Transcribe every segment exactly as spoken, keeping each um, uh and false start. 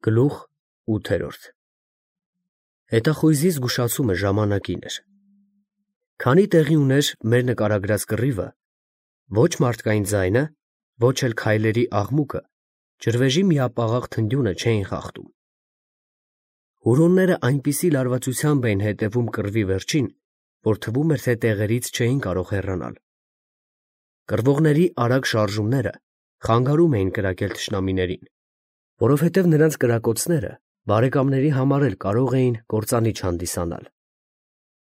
Գլուխ ութերորդ Հետախույզի զգուշացումը ժամանակին էր։ Քանի տեղի ուներ մեր նկարագրած կռիվը, ոչ մարդկային ձայնը, ոչ էլ քայլերի աղմուկը, ջրվեժի միապաղաղ թնդյունը չէին խախտում։ Հուրոնները այնպիսի լարվածությամբ էին հետևում կռվի վերջին, որ թվում էր, թե տեղերից չէին կարող հեռանալ։ Կռվողների արագ շարժումները խանգարում էին կրակել թշնամիներին, որովհետև նրանց կրակոցները բարեկամների համար էլ կարող էին կործանիչ հանդիսանալ։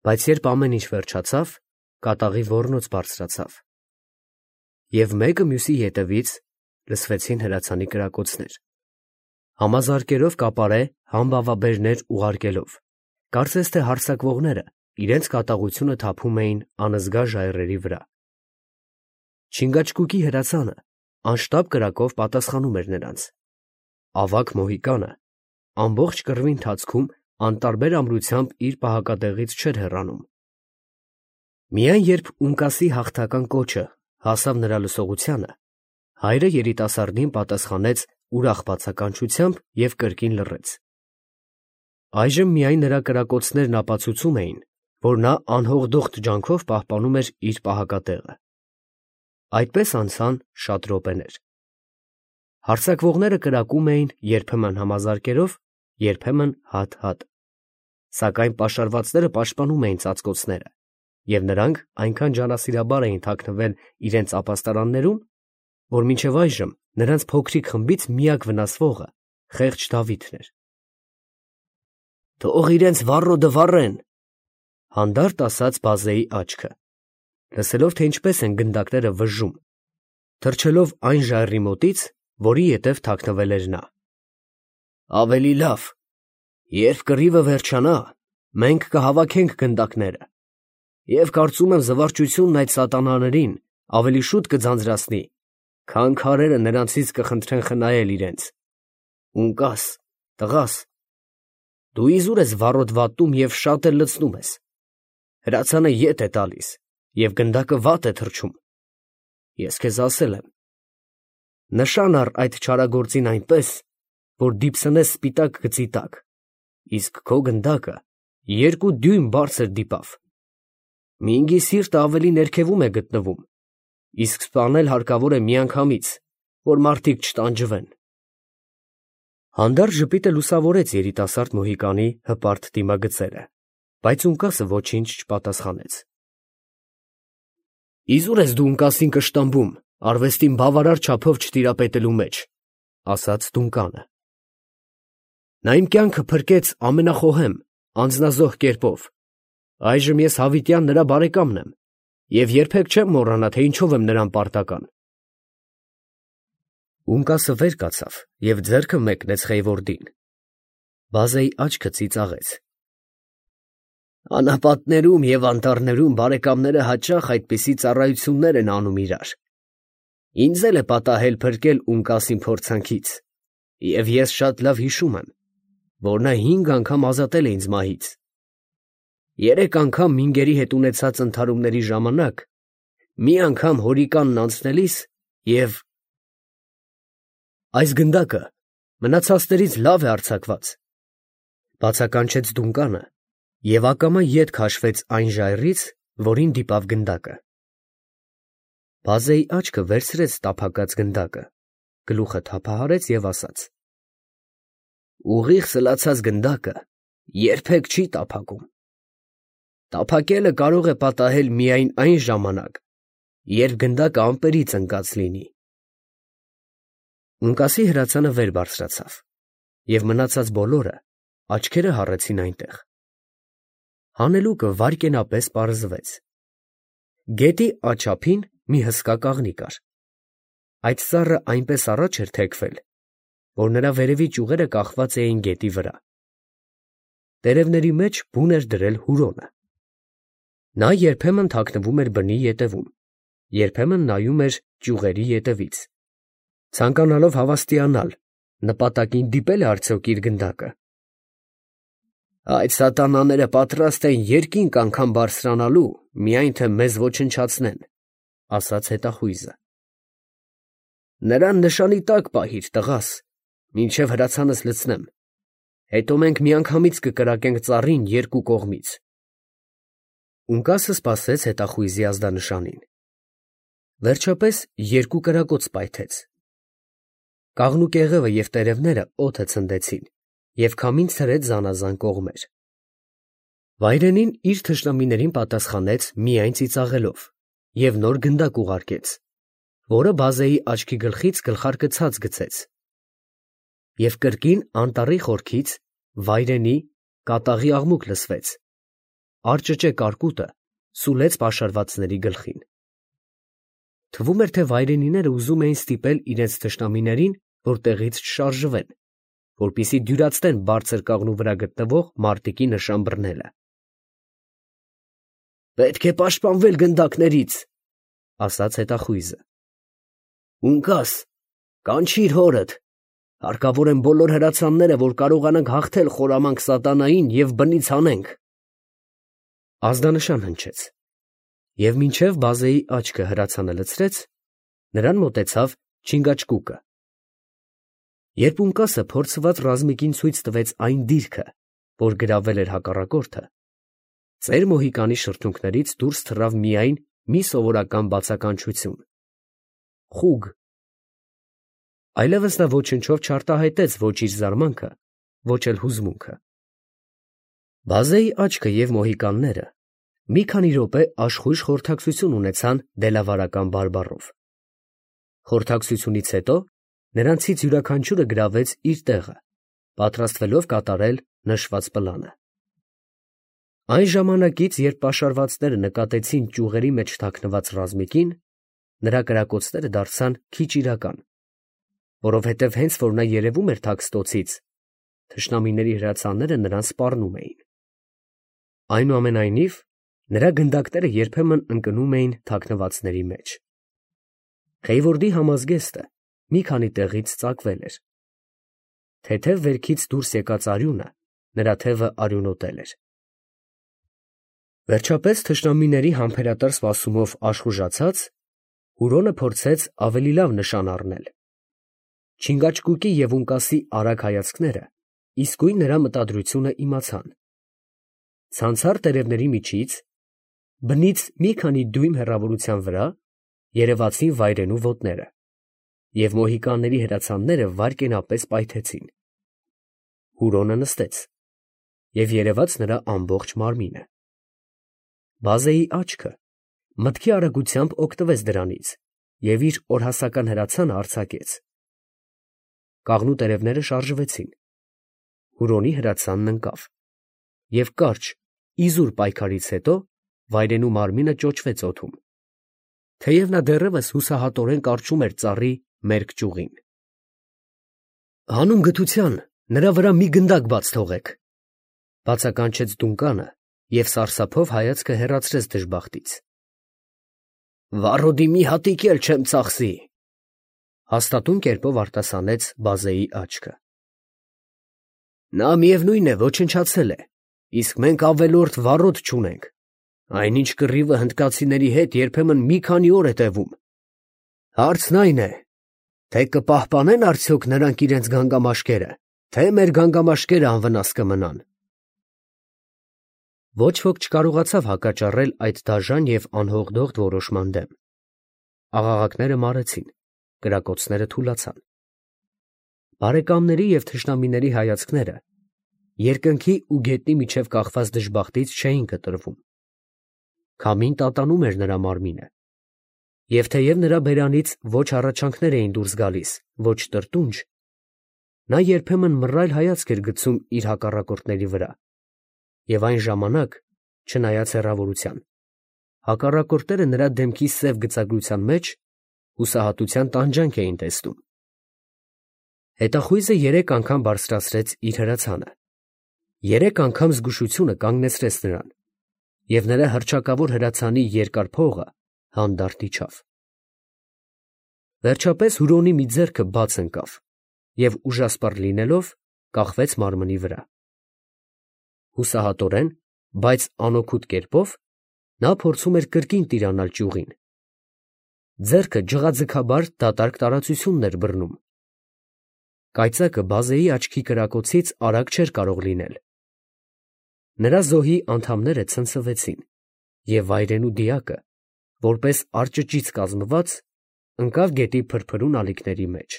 Բայց երբ ամեն ինչ վերջացավ, կատաղի ոռնոց բարձրացավ, և մեկը մյուսի ետևից լսվեցին հրացանի կրակոցներ, համազարկերով կապարե համբավաբերներ ուղարկելով, կարծես թե հարձակվողները իրենց կատաղությունը թափում էին անզգա ժայռերի վրա։ Չինգաչգուկի հրացանը անշտապ կրակով պատասխանում էր նրանց։ Ավագ մոհիկանը ամբողջ կռվի ընթացքում անտարբեր ամրությամբ իր պահակատեղից չէր հեռանում։ Միայն երբ Ունկասի հաղթական կոչը հասավ նրա լսողությանը, հայրը երիտասարդին պատասխանեց ուրախ բացականչությամբ և կրկին լռեց։ Այժմ միայն նրա կրակոցներն ապացուցում էին, որ նա անհողդոխտ ջանքով պահպանում էր իր պահակատեղը։ Այդպես անցան շատ րոպեներ։ Հարձակվողները կրակում էին երբեմն համազարկերով, երբեմն հատ-հատ, սակայն պաշարվածները պաշտպանում էին ծածկոցները, և նրանք այնքան ջանասիրաբար էին թաքնվել իրենց ապաստարաններում, որ մինչև այժմ նրանց փոքրիկ խմբից միակ վնասվողը խեղճ Դավիթն էր։ «Թող իրենց վառոդը վառեն», հանդարտ ասաց բազեի աչքը, լսելով, թե ինչպես են գնդակները վժժում, թռչելով այն ժայռի մոտից, որի ետև թաքնվել էր նա։ «Ավելի լավ, երբ կռիվը վերջանա, մենք կհավաքենք գնդակները, և կարծում եմ զվարճությունն այդ սատանաներին ավելի շուտ կձանձրացնի, քան քարերը նրանցից կխնդրեն խնայել իրենց։ Ունկաս, տղաս, դու իզուր ես վառոդ վատում և շատ էլ լցնում ես, հրացանը ետ է տալիս և գնդակը վատ է թռչում։ Ես քեզ ասել եմ. նշան առ այդ չարագործին այնպես, որ դիպսնես սպիտակ գծի տակ, իսկ քո գնդակը երկու դյույմ բարձր դիպավ։ Մինգի սիրտը ավելի ներքևում է գտնվում, իսկ սպանել հարկավոր է միանգամից, որ մարդիկ չտանջվեն»։ Հանդարտ ժպիտը լուսավորեց երիտասարդ մոհիկանի հպարտ դիմագծերը, բայց Ունկասը ոչինչ չպատասխանեց։ «Իզուր ես դու Ունկասին կշտամբում արվեստին բավարար չափով չտիրապետելու մեջ», ասաց Դունկանը։ «Նա իմ կյանքը փրկեց ամենախոհեմ, անձնազոհ կերպով, այժմ ես հավիտյան նրա բարեկամն եմ և երբեք չեմ մոռանա, թե ինչով եմ նրան պարտական»։ Ունկասը վեր կացավ և ձեռքը մեկնեց խեյվորդին։ Բազեի աչքը ծիծաղեց։ «Անապատներում և անտառներում բարեկամները հաճախ այդպիսի ծառայություններ են անում իրար։ Ինձ էլ է պատահել փրկել Ունկասին փորձանքից, և ես շատ լավ հիշում եմ, որ նա հինգ անգամ ազատել է ինձ մահից։ Երեք անգամ մինգերի հետ ունեցած ընդհարումների ժամանակ, մի անգամ հորիկանն անցնելիս և… Այս գնդակը մնացածներից լավ է արձակված», բացականչեց Դունկանը և ակամա ետ քաշվեց այն ժայռից, որին դիպավ գնդակը։ Բազեի աչքը վերցրեց տափակած գնդակը, գլուխը թափահարեց և ասաց. «Ուղիղ սլացած գնդակը երբեք չի տափակում։ Տափակելը կարող է պատահել միայն այն ժամանակ, երբ գնդակը ամպերից ընկած լինի»։ Ունկասի հրացանը վեր բարձրացավ, և մնացած բոլորը աչքերը հառեցին այնտեղ։ Հանելուկը վայրկենապես պարզվեց։ Գետի աջափին մի հսկա կաղնի կար։ Այդ ծառը այնպես առաջ էր թեքվել, որ նրա վերևի ճյուղերը կախված էին գետի վրա։ Տերևների մեջ բուն էր դրել հուրոնը։ Նա երբեմն թաքնվում էր բնի ետևում, երբեմն նայում էր ճյուղերի ետևից, ցանկանալով հավաստիանալ, նպատակին դիպե՞լ է արդյոք իր գնդակը։ «Այդ սատանաները պատրաստ են երկինք անգամ բարձրանալու, միայն թե մեզ ոչնչացնեն», ասաց հետախույզը։ «Նրան նշանի տակ պահիր, տղաս, մինչև հրացանս լցնեմ, հետո մենք միանգամից կկրակենք ծառին երկու կողմից։ Ունկասը սպասեց հետախույզի ազդանշանին։ Վերջապես երկու կրակոց պայթեց։ Կաղնուկեղևը և տերևները օդը ցնդեցին և քամին ցրեց զանազան կողմեր։ Վայրենին իր թշնամիներին պատասխանեց միայն ծիծաղելով և նոր գնդակ ուղարկեց, որը բազեի աչքի գլխից գլխարկը ցած գցեց։ Եվ կրկին անտառի խորքից վայրենի կատաղի աղմուկ լսվեց, արճճե կարկուտը սուլեց պաշարվածների գլխին։ Թվում էր, թե վայրենիները ուզում էին ստիպել իրենց թշնամիներին, որ տեղից չշարժվեն, որպեսզի դյուրացնեն բարձր կաղնու վրա գտնվող մարտիկի նշան բռնելը։ «Պետք է պաշտպանվել գնդակներից», ֊ ասաց հետախույզը։ «Ունկաս, կանչիր հորդ, հարկավոր են բոլոր հրացանները, որ կարողանանք հաղթել խորամանկ սատանային և բնից հանենք»։ Ազդանշան հնչեց, և մինչև բազեի աչքը հրացանը լցրեց, նրան մոտեցավ չինգաչկուկը։ Երբ Ունկասը փորձված ռազմիկին ցույց տվեց այն դիրքը, որ գրավել էր հակառակորդը, ծեր Մոհիկանի շրթունքներից դուրս թռավ միայն մի սովորական բացականչություն. խուգ։ Այլևս նա ոչնչով չարտահայտեց ոչ իր զարմանքը, ոչ էլ հուզմունքը։ Բազեի աչքը և մոհիկանները մի քանի րոպե աշխույժ խորհրդակցություն ունեցան դելավարական բարբառով։ Խորհրդակցությունից հետո նրանցից յուրաքանչյուրը գրավեց իր տեղը, պատրաստվելով կատարել նշված պլանը։ Այն ժամանակից, երբ պաշարվածները նկատեցին ճյուղերի մեջ թաքնված ռազմիկին, նրա կրակոցները դարձան քիչ իրական, որովհետև հենց որ նա երևում էր թաքստոցից, թշնամիների հրացանները նրան սպառնում էին։ Այնուամենայնիվ, նրա գնդակները երբեմն ընկնում էին թաքնվածների մեջ։ Խեյվորդի համազգեստը մի քանի տեղից ծակվել էր։ Թեթև վերքից դուրս եկած արյունը նրա թևը արյունոտել էր։ Վերջապես թշնամիների համբերատար սպասումով աշխուժացած, Հուրոնը փորձեց ավելի լավ նշան առնել։ Չինգաչկուկի և Ունկասի արագ հայացքները իսկույն նրա մտադրությունը իմացան։ Ցանցառ տերևների միջից, բնից մի քանի դյույմ հեռավորության վրա, երևացին վայրենու ոտները, և մոհիկանների հրացանները վայրկենապես պայթեցին։ Հուրոնը նստեց, և երևաց նրա ամբողջ մարմինը։ Բազեի աչքը մտքի արագությամբ օգտվեց դրանից և իր օրհասական հրացանը արձակեց։ Կաղնու տերևները շարժվեցին։ Հուրոնի հրացանն ընկավ, և կարճ, իզուր պայքարից հետո վայրենու մարմինը ճոճվեց օդում, թեև նա դեռևս հուսահատորեն կառչում էր ծառի մերկ ճյուղին։ «Հանուն գթության նրա վրա մի գնդակ բաց թողեք», ֊ բացականչեց Դունկանը և սարսափով հայացքը հեռացրեց դժբախտից։ «Վառոդի մի հատիկ էլ չեմ ծախսի», ֊ հաստատուն կերպով արտասանեց բազեի աչքը։ «Նա միևնույն է ոչնչացել է, իսկ մենք ավելորդ վառոդ չունենք, այնինչ կռիվը հնդկացիների հետ երբեմն մի քանի օր է տևում։ Հարցն այն է, թե կպահպանեն արդյոք նրանք իրենց գանգամաշկերը, թե մեր գանգամաշկերը անվնաս կմնան»։ Ոչ ոք չկարողացավ հակաճառել այդ դաժան և անհողդողդ որոշման դեմ։ Աղաղակները մարեցին, կրակոցները թուլացան։ Բարեկամների և թշնամիների հայացքները երկնքի ու գետնի միջև կախված դժբախտից չէին կտրվում։ Քամին տատանում էր նրա մարմինը, և թեև նրա բերանից ոչ հառաչանքներ էին դուրս գալիս, ոչ տրտունջ, նա երբեմն մռայլ հայացք էր գցում իր հակառակորդների վրա, և այն ժամանակ, չնայած հեռավորության, հակառակորդները նրա դեմքի սև գծագրության մեջ հուսահատության տանջանք էին տեսնում։ Հետախույզը երեք անգամ բարձրացրեց իր հրացանը, երեք անգամ զգուշությունը կանգնեցրեց նրան, և նրա հռչակավոր հրացանի երկար փողը հանդարտ իջավ։ Վերջապես Հուրոնի մի ձեռքը բաց ընկավ և ուժասպառ լինելով կախվեց մարմնի վրա։ Հուսահատորեն, բայց անօգուտ կերպով նա փորձում էր կրկին տիրանալ ճյուղին։ Ձեռքը ջղաձգաբար դատարկ տարածությունն էր բռնում։ Կայծակը բազեի աչքի կրակոցից արագ չէր կարող լինել։ Նրա զոհի անդամները ցնցվեցին, և վայրենու դիակը, որպես արճճից կազմված, ընկավ գետի փրփրուն ալիքների մեջ։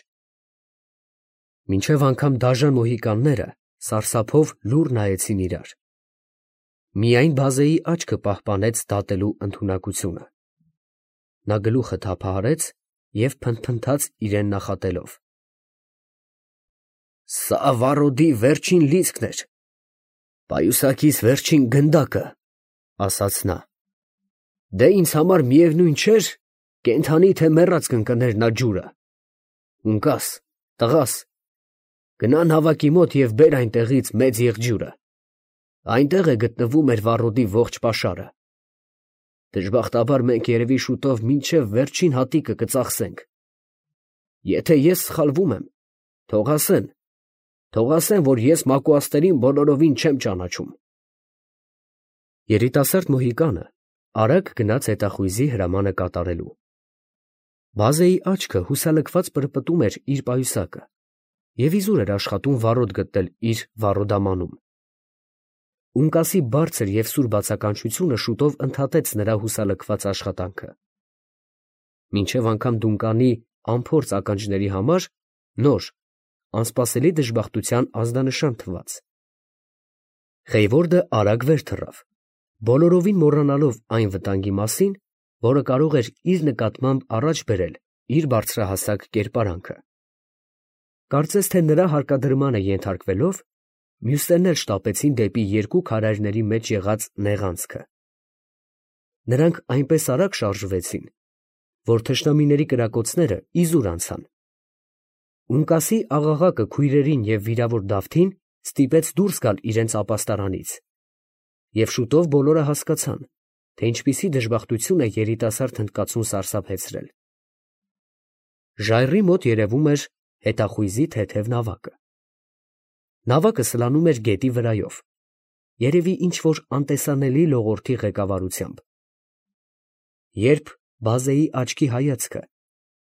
Մինչև անգամ դաժան մոհիկանները սարսափով լուռ նայեցին իրար։ Միայն բազեի աչքը պահպանեց դատելու ընդունակությունը։ Նա գլուխը թափահարեց և փնթփնթաց իրեն նախատելով. «Սա վառոդի վերջին լիցքն էր, պայուսակիս վերջին գնդակը», ասաց նա։ «Դե ինձ համար միևնույն չէր, կենդանի թե մեռած կընկներ նա ջուրը։ Ունկաս, տղաս, գնա նավակի մոտ և բեր այնտեղից մեծ եղջյուրը. այնտեղ է գտնվում մեր վառոդի ողջ պաշարը։ Դժբախտաբար մենք երևի շուտով մինչև վերջին հատիկը կծախսենք։ Եթե ես սխալվում եմ, թող ասեն, թող ասեն, որ ես մակուաստերին բոլորովին չեմ ճանաչում»։ Երիտասարդ մոհիկանը արագ գնաց հետախույզի հրամանը կատարելու։ Բազեի աչքը հուսալքված պրպտում էր իր պայուսակը և իզուր էր աշխատում վառոդ գտնել իր վառոդամանում։ Ունկասի բարձր և սուր բացականչությունը շուտով ընդհատեց նրա հուսալքված աշխատանքը։ Մինչև անգամ Դունկանի անփորձ ականջների համար նոր, անսպասելի դժբախտության ազդանշան թվաց։ Խեյվորդը արագ վեր թռավ, բոլորովին մոռանալով այն վտանգի մասին, որը կարող էր իր նկատմամբ առաջ բերել իր բարձրահասակ կերպարանքը։ Կարծես թե նրա հարկադրմանը ենթարկվելով, մյուսներն էլ շտապեցին դեպի երկու քարայրների մեջ եղած նեղանցքը։ Նրանք այնպես արագ շարժվեցին, որ թշնամիների կրակոցները իզուր անցան։ Ունկասի աղաղակը քույրերին և վիրավոր Դավթին ստիպեց դուրս գալ իրենց ապաստարանից, և շուտով բոլորը հասկացան, թե ինչպիսի դժբախտություն է երիտասարդ հնդկացուն սարսափեցրել։ Ժայռի մոտ երևում էր հետախույզի թեթև նավակը։ Նավակը սլանում էր գետի վրայով, երևի ինչ-որ անտեսանելի լողորդի ղեկավարությամբ։ Երբ բազեի աչքի հայացքը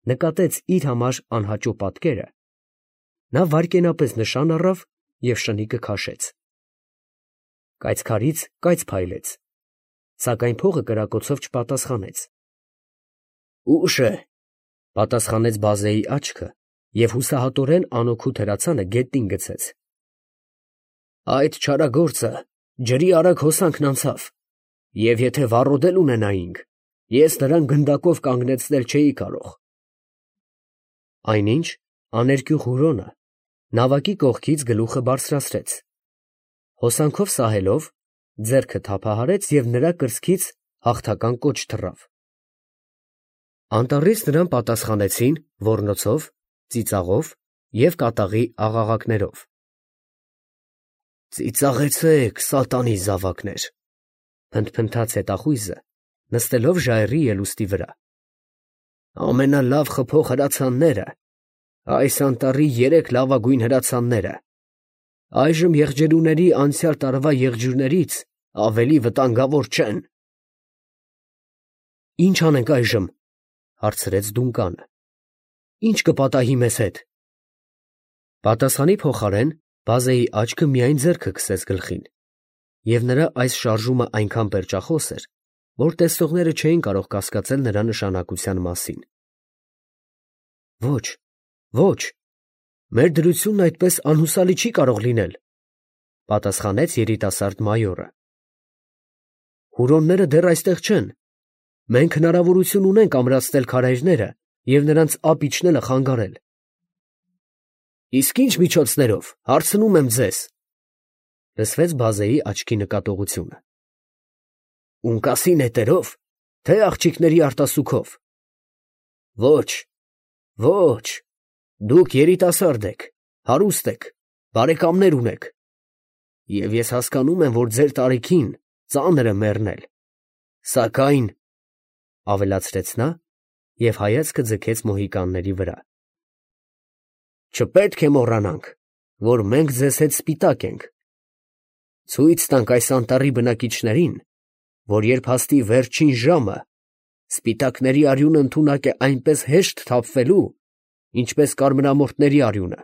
նկատեց իր համար անհաճո պատկերը, նա վայրկենապես նշան առավ և շնիկը քաշեց։ Կայծքարից կայծ փայլեց, սակայն փողը կրակոցով չպատասխանեց։ «Ուշ է», պատասխանեց բազեի աչքը և հուսահատորեն անօգուտ հրացանը գետնին գցեց։ «Այդ չարագործը ջրի արագ հոսանքն անցավ, և եթե վառոդել ունենայինք, ես նրան գնդակով կանգնեցնել չէի կարող»։ Այնինչ աներկյուղ Հուրոնը նավակի կողքից գլուխը բարձրացրեց, հոսանքով սահելով, ձեռքը թափահարեց և նրա կրծքից հաղթական կոչ թռավ։ Անտառից նրան պատասխանեցին ոռնոցով, ծիծաղով և կատաղի աղաղակներով։ «Ծիծաղեցե՛ք, սատանի զավակներ», փնթփնթաց հետախույզը, նստելով ժայռի ելուստի վրա։ «Ամենալավ խփող հրացանները, այս անտառի երեք լավագույն հրացանները, այժմ եղջերուների անցյալ տարվա եղջյուրներից ավելի վտանգավոր չեն»։ «Ի՞նչ անենք այժմ», հարցրեց Դունկանը։ «Ի՞նչ կպատահի մեզ հետ»։ Պատասխանի փոխարեն բազեի աչքը միայն ձեռքը քսեց գլխին, և նրա այս շարժումը այնքան պերճախոս էր, որ տեսնողները չէին կարող կասկածել նրա նշանակության մասին։ «Ոչ, ոչ, մեր դրությունն այդպես անհուսալի չի կարող լինել», պատասխանեց երիտասարդ մայորը։ «Հուրոնները դեռ այստեղ չեն։ Մենք հնարավորություն ունենք ամրացնել քարայրները և նրանց ափ իջնելը խանգարել»։ «Իսկ ի՞նչ միջոցներով, հարցնում եմ ձեզ», լսվեց բազեի աչքի նկատողությունը։ «Ունկասի նետերով, թե աղջիկների արտասուքով»։ «Ոչ, ոչ, դուք երիտասարդ եք, հարուստ եք, բարեկամներ ունեք, և ես հասկանում եմ, որ ձեր տարիքին ծանր է մեռնել, սակայն…» ավելացրեց նա և հայացքը ձգեց մոհիկանների վրա։ «Չպետք է մոռանանք, որ մենք ձեզ հետ սպիտակ ենք։ Ցույց տանք այս անտառի բնակիչներին, որ երբ հասնի վերջին ժամը, սպիտակների արյունը ընդունակ է այնպես հեշտ թափվելու, ինչպես կարմրամորթների արյունը»։